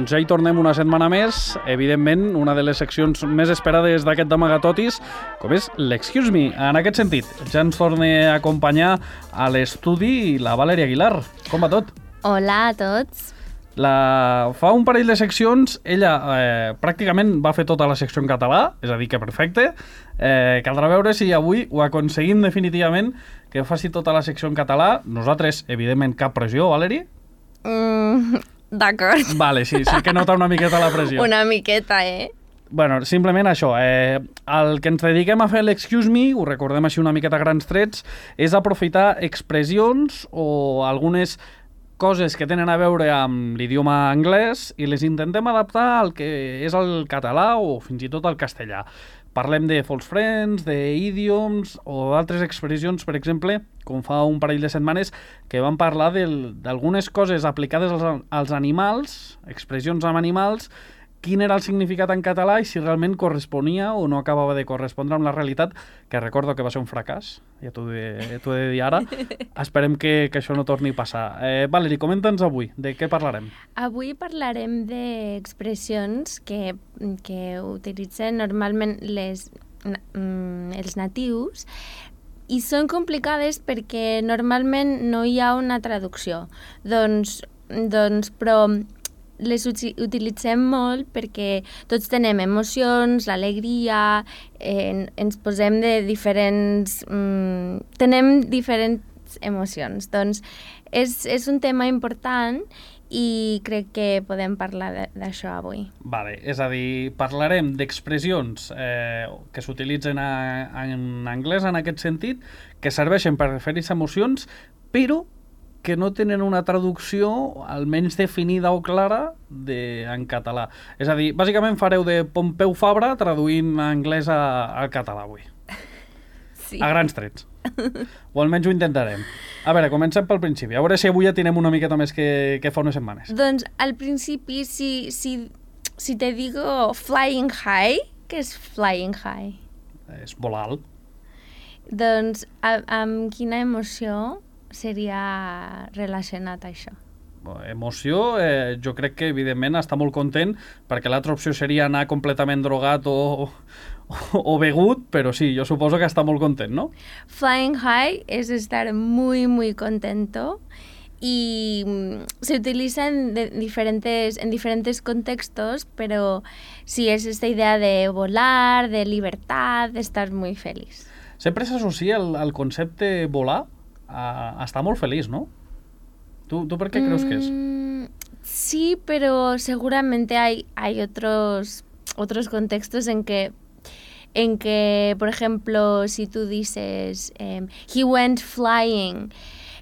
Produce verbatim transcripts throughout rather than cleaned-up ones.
Doncs ja hi tornem una setmana més. Evidentment, una de les seccions més esperades d'aquest d'Amagatotis, com és l'Excuse Me. En aquest sentit, ja ens torna a acompanyar a l'estudi la Valeria Aguilar. Com va tot? Hola a tots. La... Fa un parell de seccions, ella eh, pràcticament va fer tota la secció en català, és a dir, que perfecte. Eh, caldrà veure si avui ho aconseguim definitivament que faci tota la secció en català. Nosaltres, evidentment, cap pressió, Valeri? Mm, D'acord. Vale, sí, sí que nota una miqueta la pressió. Una miqueta, eh? Bueno, simplement això. Eh, el que ens dediquem a fer l'Excuse Me, ho recordem així una miqueta a grans trets, és aprofitar expressions o algunes coses que tenen a veure amb l'idioma anglès i les intentem adaptar al que és el català o fins i tot al castellà. Parlem de false friends, d'idioms o d'altres expressions, per exemple, com fa un parell de setmanes, que vam parlar d'algunes coses aplicades als, als animals, expressions amb animals, quin era el significat en català i si realment corresponia o no acabava de correspondre amb la realitat, que recordo que va ser un fracàs, ja t'ho he, t'ho he de dir ara. Esperem que, que això no torni a passar. Eh, Valeri, comenta'ns avui, de què parlarem? Avui parlarem d'expressions que, que utilitzen normalment les, mm, els natius i són complicades perquè normalment no hi ha una traducció. Doncs, doncs però les utilitzem molt perquè tots tenem emocions, l'alegria, eh, ens posem de diferents... Mm, tenem diferents emocions. Doncs és, és un tema important i crec que podem parlar d'això avui. Vale, és a dir, parlarem d'expressions eh, que s'utilitzen en anglès en aquest sentit, que serveixen per referir-se a emocions, però que no tenen una traducció almenys definida o clara de, en català. És a dir, bàsicament fareu de Pompeu Fabra traduint anglès a, al català avui. Sí. A grans trets. O almenys ho intentarem. A veure, comencem pel principi. A veure si avui ja tenim una miqueta més que, que fa unes setmanes. Doncs al principi, si, si, si te digo flying high, què és flying high? És volar alt. Doncs a, amb quina emoció seria relacionat a això? Emoció, eh, jo crec que evidentment està molt content, perquè l'altra opció seria anar completament drogat o, o, o begut, però sí, jo suposo que està molt content, no? Flying high és estar muy, muy contento y se utiliza en, de diferentes, en diferentes contextos, pero sí, es esta idea de volar, de libertad, de estar muy feliz. Sempre s'associa el, el concepte volar a, a estar molt feliç, ¿no? ¿Tú, tú por qué crees que es? Mm, sí, pero seguramente hay, hay otros, otros contextos en que, en que, por ejemplo, si tú dices eh, he went flying,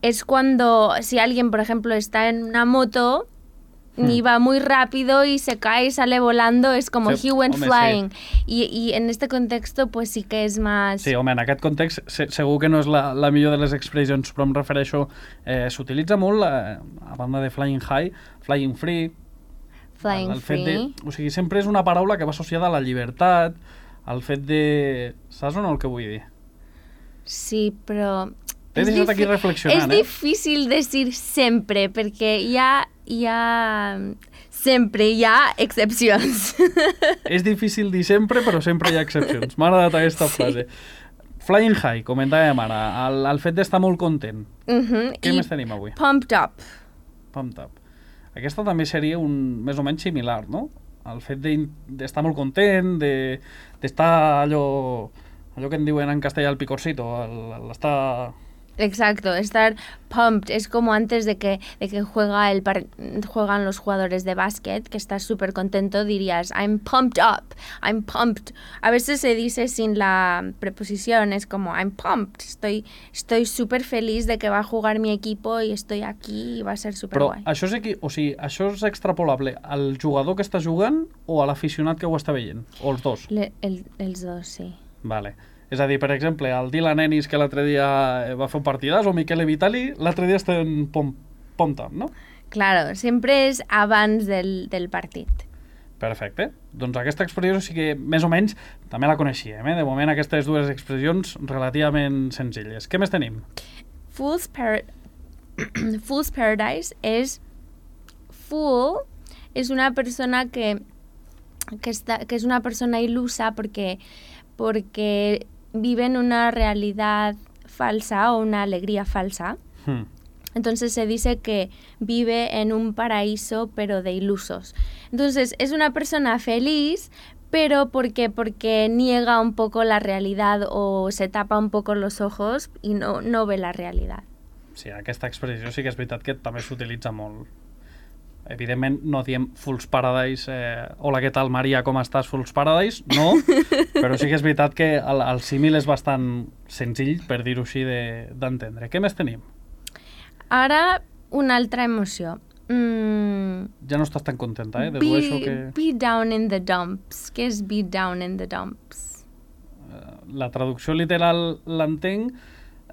es cuando si alguien, por ejemplo, está en una moto hmm. y va muy rápido y se cae y sale volando, es como sí, he went home, flying. Sí. Y, y en este contexto, pues sí que és més... Sí, home, en aquest context se, segur que no és la, la millor de les expressions, però em refereixo... Eh, s'utilitza molt, eh, a banda de flying high, flying free... Flying el, el fet free... De, o sigui, sempre és una paraula que va associada a la llibertat, al fet de... Saps o no el que vull dir? Sí, però... T'he deixat aquí reflexionant, és eh? És difícil dir sempre, perquè hi ha... Hi ha... Sempre hi ha excepcions. És difícil dir sempre, però sempre hi ha excepcions. M'ha agradat aquesta sí. frase. Flying high, comentàvem ara, el, el fet d'estar molt content. Uh-huh. Què I més tenim avui? Pumped up. Pumped up. Aquesta també seria un més o menys similar, no? El fet d'estar molt content, d'estar de, allò, allò que en diuen en castellà el picorcito, l'estar... Exacto, estar pumped es como antes de que, de que juega el par juegan los jugadores de básquet, que estás súper contento, dirías I'm pumped up, I'm pumped. A veces se dice sin la preposición, es como I'm pumped, estoy estoy súper feliz de que va a jugar mi equipo i estoy aquí i va a ser súper guai. Però això és, aquí, o sigui, això és extrapolable al jugador que està jugant o a l'aficionat que ho està veient? O els dos? Le, el, els dos, sí. Vale. És a dir, per exemple, el Dylan Ennis, que l'altre dia va fer un partidàs, o Michele Vitali, l'altre dia està en pumped up, no? Claro, sempre és abans del, del partit. Perfecte. Doncs aquesta expressió sí que més o menys també la coneixíem, eh? De moment aquestes dues expressions relativament senzilles. Què més tenim? Fool's, par Fool's Paradise és fool es una persona que, que, está, que es una persona ilusa porque, porque vive en una realidad falsa o una alegría falsa. Hmm. Entonces se dice que vive en un paraíso pero de ilusos. Entonces es una persona feliz, pero porque, porque niega un poco la realidad o se tapa un poco los ojos y no, no ve la realidad. Sí, aquesta expressió sí que és veritat que també s'utilitza molt. Evidentment no diem Fool's Paradise, eh, hola, què tal, Maria, com estàs, Fool's Paradise? No, però sí que és veritat que el, el símil és bastant senzill, per dir-ho així, d'entendre. Què més tenim? Ara, una altra emoció. Mm, ja no estàs tan contenta, eh? Be, Dedueixo que... be down in the dumps. Què és be down in the dumps? La traducció literal l'entenc,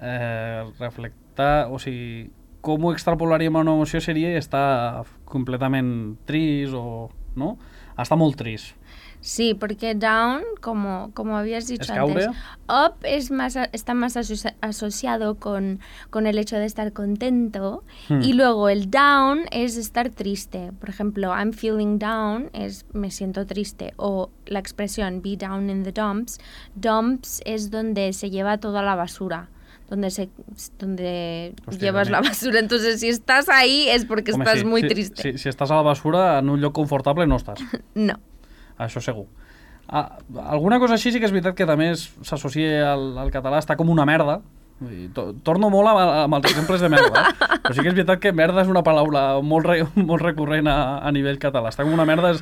eh, reflectar, o sigui, com ho extrapolaríem a una emoció seria estar completament trist o... no? Està molt trist. Sí, porque down, como, como habías dicho ¿Es caure? antes, up es más, está más asoci asociado con, con el hecho de estar contento hmm. y luego el down es estar triste. Por ejemplo, I'm feeling down es me siento triste, o la expresión be down in the dumps, dumps es donde se lleva toda la basura. Donde, se, donde Hostia, llevas la basura. Entonces, si estás ahí es porque Home, estás sí, muy sí, triste. Sí, si estàs a la basura, en un lloc confortable no estàs. No. Això segur. Ah, alguna cosa així sí que és veritat que també s'associa al, al català, està com una merda. I to, torno molt amb, amb els exemples de merda, eh? Però sí que és veritat que merda és una paraula molt, re, molt recurrent a, a nivell català. Està com una merda, és,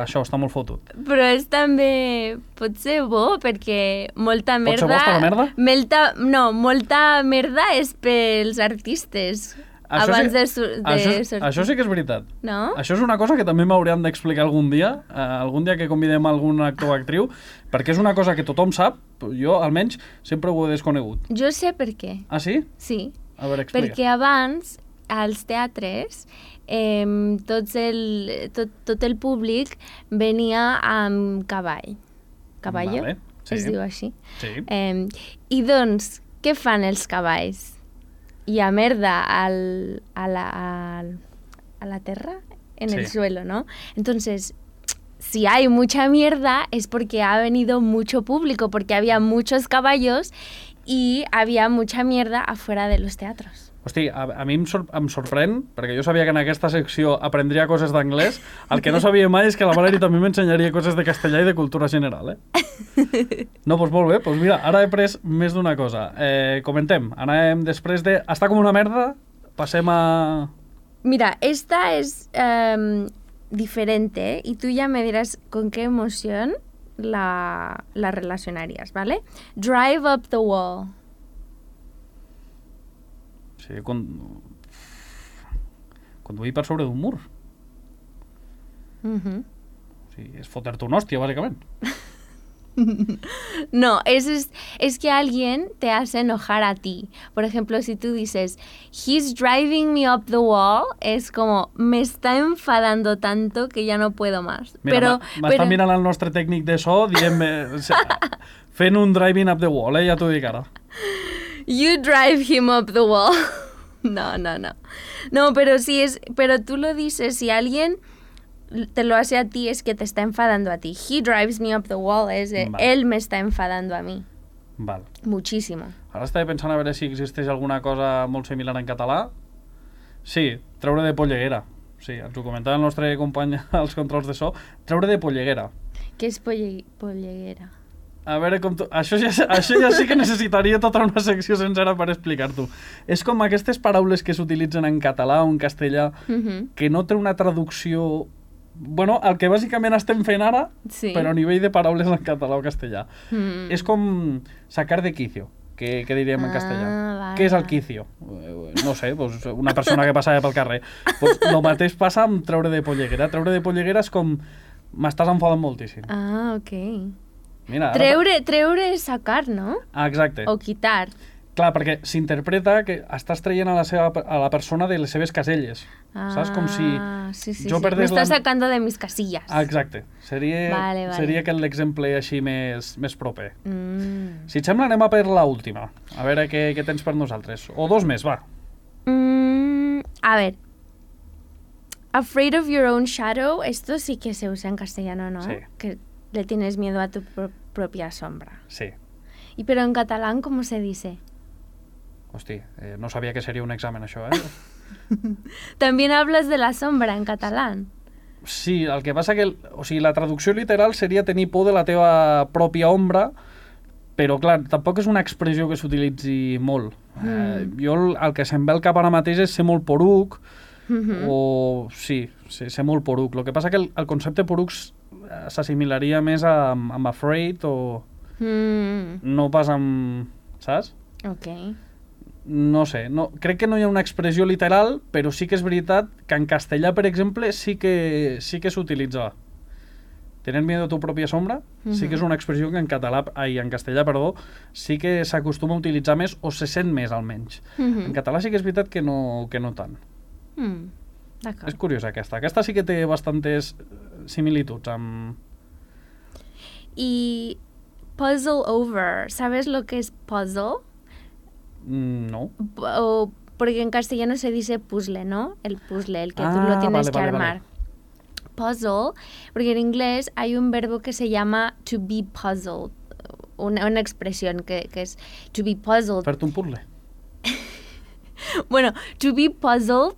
això està molt fotut. Però és també, pot ser bo, perquè molta merda... Pot ser bo estar la merda? Melta, no, molta merda és pels artistes. Això abans sí, de, sur de això, sortir. Això sí que és veritat. No? Això és una cosa que també m'hauríem d'explicar algun dia, eh, algun dia que convidem algun actor o actriu, perquè és una cosa que tothom sap, jo almenys sempre ho he desconegut. Jo sé per què. Ah, sí? Sí. A veure, explica. Perquè abans, als teatres, eh, tots el, tot, tot el públic venia amb cavall. Cavallo? Vale, sí. Es diu així. Sí. Eh, I doncs, què fan els cavalls? Y a merda al, a, la, al, a la tierra, en sí. el suelo, ¿no? Entonces, si hay mucha mierda es porque ha venido mucho público, porque había muchos caballos y había mucha mierda afuera de los teatros. Hosti, a, a mi em, sor em sorprèn, perquè jo sabia que en aquesta secció aprendria coses d'anglès, el que no sabia mai és que la Valerie també m'ensenyaria coses de castellà i de cultura general, eh? No, doncs molt bé, doncs mira, ara he pres més d'una cosa. Eh, comentem, anem després de... Està com una merda, passem a... Mira, esta es eh, diferente y tú ya me dirás con qué emoción la, la relacionarías, ¿vale? Drive up the wall. Sí, con... conduir per sobre d'un mur. Uh-huh. O sigui, és fotre-te una hòstia, bàsicament. No, es, es, es que alguien te hace enojar a ti. Por ejemplo, si tú dices, he's driving me up the wall, es como, me está enfadando tanto que ya no puedo más. Mira, m'està però... mirant el nostre tècnic de so, dient fent un driving up the wall, eh? Ja t'ho dic ara. You drive him up the wall. No, no, no. No, pero si es, pero tú lo dices, si alguien te lo hace a ti, es que te está enfadando a ti. He drives me up the wall, es de, vale. Él me está enfadando a mí. Val. Muchísimo. Ara estava pensant a veure si existeix alguna cosa molt similar en català. Sí, treure de polleguera. Sí, ens ho comentava el nostre company als controls de so. Treure de polleguera. Què és polle polleguera? A veure com tu... Això ja, això ja sí que necessitaria tota una secció sencera per explicar-t'ho. És com aquestes paraules que s'utilitzen en català o en castellà, uh-huh. que no té una traducció... Bueno, el que bàsicament estem fent ara, sí. Però a nivell de paraules en català o castellà. Mm. És com sacar de quicio, que, que diríem en castellà. Ah, vale. Què és el quicio? No sé, pues una persona que passava pel carrer. Pues el mateix passa amb treure de polleguera. Treure de polleguera és com... M'estàs enfadant moltíssim. Ah, ok. Mira, treure, ara... treure és sacar, no? Ah, exacte. O quitar. Clar, perquè s'interpreta que estàs traient a la, seva, a la persona de les seves caselles. Ah, saps? Com si sí, sí, jo sí. perdés... M'estàs la... sacando de mis casillas. Ah, exacte. Seria, vale, vale. seria aquest l'exemple així més, més proper. Mm. Si et sembla, anem a per l'última. A veure què, què tens per nosaltres. O dos més, va. Mm, a ver. Afraid of your own shadow, esto sí que se usa en castellano, ¿no? Sí. Que le tienes miedo a tu pro- propia sombra. Sí. Y pero en catalán, ¿cómo se dice? Hosti, eh, no sabia que seria un examen, això, eh? También hablas de la sombra en catalán. Sí, el que passa que... El, o sigui, la traducció literal seria tenir por de la teva pròpia ombra, però, clar, tampoc és una expressió que s'utilitzi molt. Mm. Eh, jo el, el que se'm ve al cap ara mateix és ser molt poruc, mm-hmm. o... Sí, sí, ser molt poruc. El que passa que el, el concepte poruc s'assimilaria més a, amb afraid o... Mm. No pas amb... Saps? Ok. No sé, no, crec que no hi ha una expressió literal, però sí que és veritat que en castellà, per exemple, sí que, sí que s'utilitza. Tener miedo a tu pròpia sombra, uh-huh. sí que és una expressió que en català, ai, en castellà, perdó, sí que s'acostuma a utilitzar més o se sent més, almenys. Uh-huh. En català sí que és veritat que no, que no tant. Mm, d'acord. És curiosa aquesta. Aquesta sí que té bastantes similituds amb... I puzzle over, ¿sabes lo que es puzzle? No. O, porque en castellano se dice puzzle, ¿no? El puzzle, el que ah, tú lo tienes vale, que vale, armar. Vale. Puzzle, porque en inglés hay un verbo que se llama to be puzzled, una, una expresión que, que es to be puzzled. Fer-te un puzzle. Bueno, to be puzzled,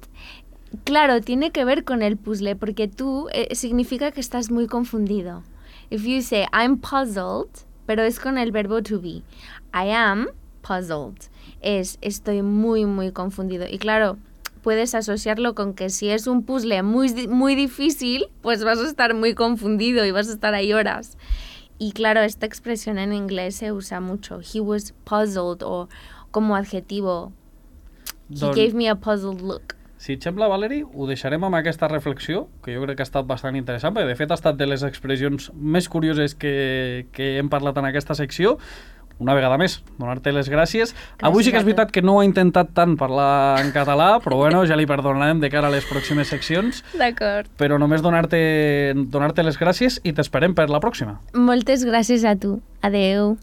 claro, tiene que ver con el puzzle, porque tú eh, significa que estás muy confundido. If you say I'm puzzled, pero es con el verbo to be. I am puzzled. Es estoy muy, muy confundido. Y claro, puedes asociarlo con que si es un puzzle muy, muy difícil, pues vas a estar muy confundido y vas a estar ahí horas. Y claro, esta expresión en inglés se usa mucho. He was puzzled, o como adjetivo. He Don... gave me a puzzled look. Si et sembla, Valeri, ho deixarem amb aquesta reflexió, que jo crec que ha estat bastant interessant, perquè de fet ha estat de les expressions més curioses que, que hem parlat en aquesta secció. Una vegada més, donar-te les gràcies. gràcies. Avui sí que és veritat que no ha intentat tant parlar en català, però bueno, ja li perdonarem de cara a les pròximes seccions. D'acord. Però només donar-te donar-te les gràcies i t'esperem per la pròxima. Moltes gràcies a tu. Adeu.